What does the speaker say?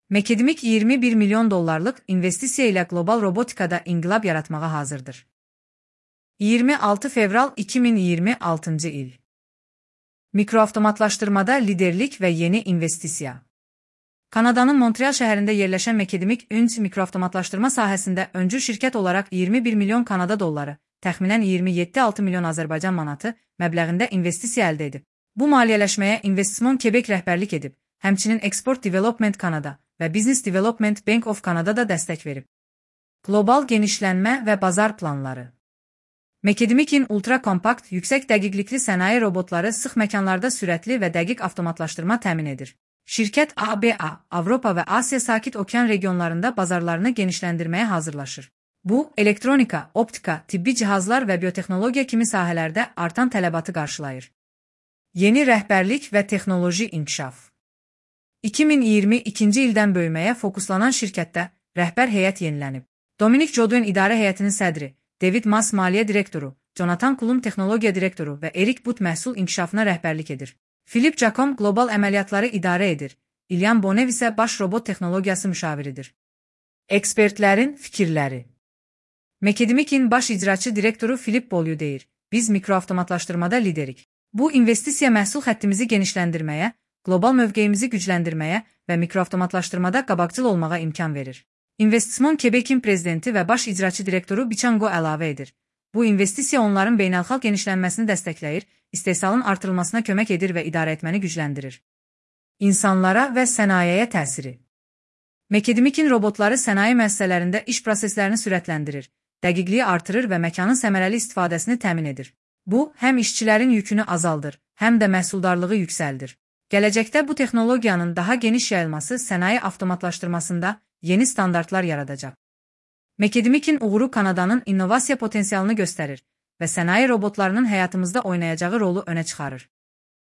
Mekedimik 21 milyon dollarlıq investisiya ilə qlobal robotikada inqilab yaratmağa hazırdır. 26 fevral 2026 il. Mikroavtomatlaşdırmada liderlik və yeni investisiya. Kanadanın Montreal şəhərində yerləşən Mekedimik Ünc mikroavtomatlaşdırma sahəsində öncül şirkət olaraq 21 milyon Kanada dolları, təxminən 27-6 milyon Azərbaycan manatı məbləğində investisiya əldə edib. Bu maliyyələşməyə Investissement Quebec rəhbərlik edib, həmçinin Export Development Canada və Business Development Bank of Canada da dəstək verib. Qlobal genişlənmə və bazar planları. Mekedimik'in ultra-kompakt, yüksək dəqiqlikli sənaye robotları sıx məkanlarda sürətli və dəqiq avtomatlaşdırma təmin edir. Şirkət ABA, Avropa və Asiya Sakit Okean regionlarında bazarlarını genişləndirməyə hazırlaşır. Bu, elektronika, optika, tibbi cihazlar və biotexnologiya kimi sahələrdə artan tələbatı qarşılayır. Yeni rəhbərlik və texnoloji inkişaf. 2022-ci ildən böyüməyə fokuslanan şirkətdə rəhbər heyət yenilənib. Dominic Jodwin idarə heyətinin sədri, David Maas maliyyə direktoru, Jonathan Kulum texnologiya direktoru və Erik But məhsul inkişafına rəhbərlik edir. Philip Jacom qlobal əməliyyatları idarə edir. Ilyan Bonev isə baş robot texnologiyası müşaviridir. Ekspertlərin fikirləri. Mekedimik'in baş icraçı direktoru Philip Bolyu deyir, biz mikroavtomatlaşdırmada liderik. Bu, investisiya məhsul xəttimizi genişləndirməyə, qlobal mövqeyimizi gücləndirməyə və mikroavtomatlaşdırmada qabaqcıl olmağa imkan verir. Investissement Quebec'in prezidenti və baş icraçı direktoru Bichango əlavə edir. Bu investisiya onların beynəlxalq genişlənməsini dəstəkləyir, istehsalın artırılmasına kömək edir və idarə etməni gücləndirir. İnsanlara və sənayeye təsiri. Mekedimik'in robotları sənaye müəssisələrində iş proseslərini sürətləndirir, dəqiqliyi artırır və məkanın səmərəli istifadəsini təmin edir. Bu, həm işçilərin yükünü azaldır, həm də məhsuldarlığı yüksəldir. Gələcəkdə bu texnologiyanın daha geniş yayılması sənaye avtomatlaşdırmasında yeni standartlar yaradacaq. Mekedimik'in uğuru Kanadanın innovasiya potensialını göstərir və sənaye robotlarının həyatımızda oynayacağı rolu önə çıxarır.